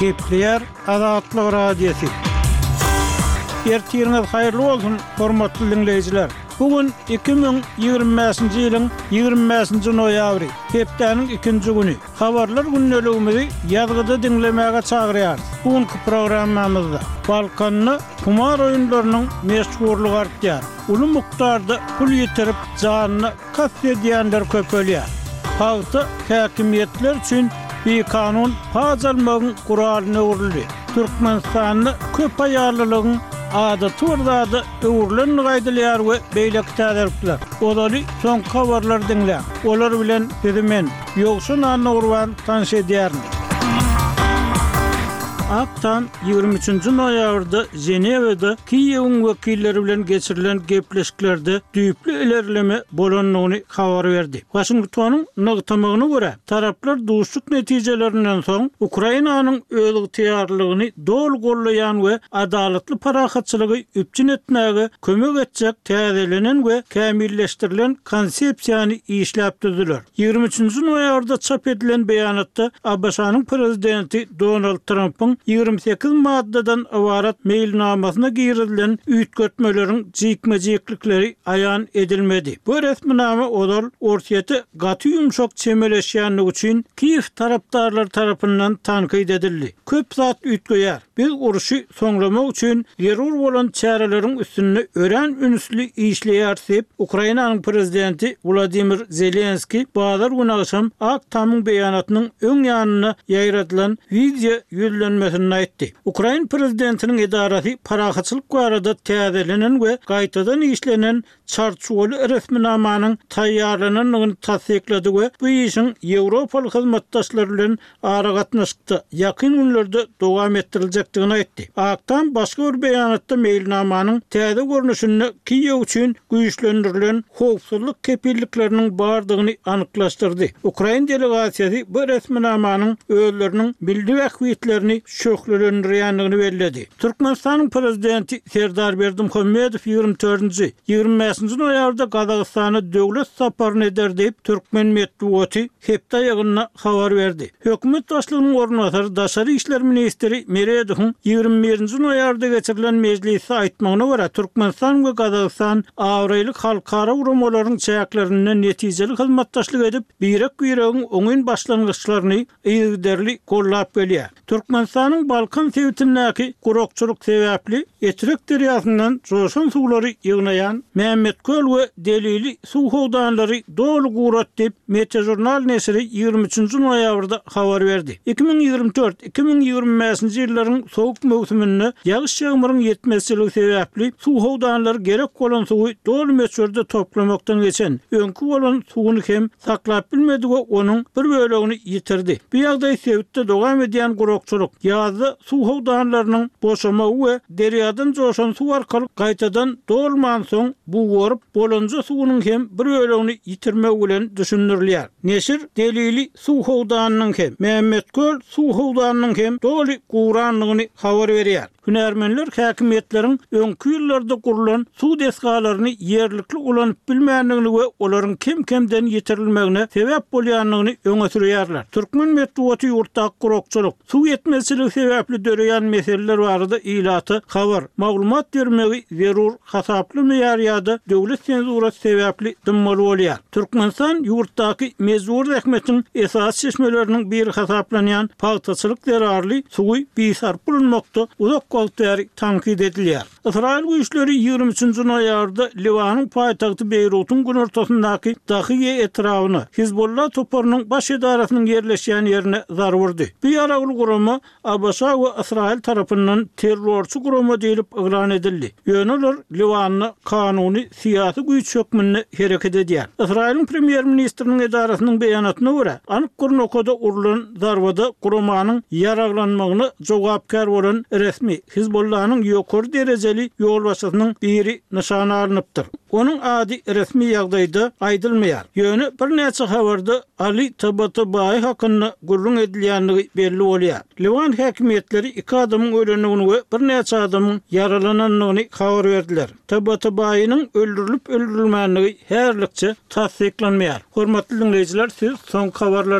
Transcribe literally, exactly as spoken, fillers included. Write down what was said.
Gepleýär Azatlyk Radiosy. Ertiriňiz haýyrly bolsun, hormatly diňleýjiler. Bu gün iki müň ýigrimi bäşinji ýylyň ýigrimi bäşinji noýabry, hepdäniň ikinji güni. Habarlar gündeligimizi ýazgyda diňlemäge çagyrýarys. Bu günki programmamyzda Balkanda humar oýunlarynyň meşhurlygy artýar. Uly mukdarda pul ýitirip, janyna kast edýänler köpelýär. Pagta häkimiýetler üçin bikanun paç almagyň guralyna öwrüldi. Türkmenistanda köp aýallylygyň adaty bir zada öwrülendigi aýdylýar we beýleki täzelikler. Ozaly soňky habarlary diňläň. Olar bilen sizi men, Ýowşan Annagurban tanyş edýärin. Ak Tam ýigrimi üçünji noýabrda Ženewada Kiýewiň wekilleri bilen geçirilen gepleşiklerde düýpli ilerleme bolandygyny habar berdi. Waşingtonyň nygtamagyna görä, taraplar duşuşyk netijelerinden soň Ukrainanyň özygtyýarlylygyny doly gollaýan we adalatly parahatçylygy üpjün etmäge kömek etjek täzelenen we kämilleşdirilen konsepsiýany işläp düzdüler. Ýigrimi üçünji noýabrda çap edilen beýanatda ABŞ-nyň prezidenti Donald Trampyň ýigrimi sekiz maddadan ybarat meýilnamasyna girizilen üýtgetmeleriň jikme-jiklikleri aýan edilmedi. Bu resminama ozal Orsýete gaty ýumşak çemeleşýändigi üçin Kiýew tarapdarlary tarapyndan tankyt edildi. Köp zat üýtgeýär. Biz urşy soňlamak üçin zerur bolan çäreleriň üstünde örän ünsli işleýäris diýip, Ukrainanyň prezidenti Wladimir Zelenskiý bazar güni agşam Ak Tamyň beýanatynyň öň ýanynda ýaýradylan wideo ýüzlenmesinde aýtdy. Ukrain prezidentiniň edarasy parahatçylyk barada täzelenen we gaýtadan işlenen çarçuwaly resminamanyň taýýarlanandygyny tassyklady we bu işiň ýewropaly hyzmatdaşlar bilen aragatnaşykda ýakyn günlerde dowam etdiriljekdigini aýtdy. Ak Tam başga bir beýanatda meýilnamanyň täze görnüşinde Kiýew üçin güýçlendirilen howpsuzlyk kepillikleriniň bardygyny anyklaşdyrdy. Ukrain delegasiýasy bu resminamanyň özleriniň milli bähbitlerini şöhlelendirýändigini belledi. Türkmenistanyň Prezidenti Serdar Berdimuhamedow ýigrimi dördünji, ýigrimi bäşinji noýabrda Gazagystana döwlet saparyny eder diýip, türkmen metbugaty hepde aýagynda habar berdi. Hökümet başlygynyň orunbasary, daşary işler ministri Meredowyň ýigrimi birinji noýabrda geçirilen mejlisde aýtmagyna görä, Türkmenistan we Gazagystan abraýly halkara guramalaryň çäklerinde netijeli hyzmatdaşlyk edip, birek-biregiň oňyn başlangyçlaryny yzygiderli gollap gelýär. Türkmenistanyň Balkan sebitindäki gurakçylyk sebäpli Etrek derýasyndan joşan suwlary ýygnaýan Mämmetköl we Delili suw howdanlary doly gurat diýip, Metežurnal neşiri ýigrimi üçünji noýabrda habar berdi. Iki müň ýigrimi dört, iki müň ýigrimi bäşinji ýyllaryň sowuk möwsüminde ýagyş-ýagmyryň ýetmezçiligi sebäpli suw howdanlary gerek bolan suwy doly möçberde toplamakdan geçen, öňki bolan suwuny hem saklap bilmedi we onuň bir bölegini ýitirdi. Bu ýagdaý sebitde dowam edýän gurakçylyk, ýazda suw howdanlarynyň boşamagy we derýadan joşan suw arkaly gaýtadan dolmansoň bugaryp, bolanja suwunyň hem bir bölegini ýitirmegi bilen düşündirilýär. Neşir Delili suw howdanynyň hem, Mämmetköl suw howdanynyň hem doly gurandygyny habar berýär. Hünärmenler häkimiýetleriň öňki ýyllarda gurlan suw desgalaryny ýerlikli ulanyp bilmändigini we olaryň kem-kemden ýitirilmegine sebäp bolýandygyny öňe sürýärler. Türkmen metbugaty ýurtdaky gurakçylyk, suw ýetmezçiligi sebäpli döreýän meseleler barada ilata habar, maglumat bermegi zerur hasaplamaýar ýa-da döwlet senzurasy sebäpli dymmaly bolýar. Türkmenistan ýurtdaky mejbury zähmetiň esasy çeşmeleriniň biri hasaplanýan pagtaçylyk zerarly suwy bisarpa ulanmakda uzak wagt bäri tankyt edilýär. Ysraýyl güýçleri ýigrimi üçünji noýabrda Liwanyň paýtagty Beýrutyň günortasyndaky Dahiýe etrabyna, Hizbollah toparynyň baş edarasynyň ýerleşýän ýerine zarba urdy. Bu ýaragly gurama ABŞ we Ysraýyl tarapyndan terrorçy gurama diýlip yglan edildi. Ýöne olar Liwanda kanuny syýasy güýç hökmünde hereket edýär. Ysraýylyň premýer-ministriniň edarasynyň beýanatyna görä, anyk bir nokada urlan zarbada guramanyň ýaraglanmagyna jogapkär bolan resmi Hizbollanyň ýokary derejeli ýolbaşçysynyň biri nyşana alnypdyr. Onuň ady resmi ýagdaýda aýdylmaýar. Ýöne birnäçe habarda Ali Tabatabai hakynda gürrüň edilýändigi belli bolýar. Liwan häkimiýetleri iki adamyň ölendigini we birnäçe adamyň ýaralanandygyny habar berdiler. Tabatabainiň öldürilip-öldürilmändigi häzirlikçe tassyklanmaýar. Hormatly diňleýjiler, siz soňky habarlary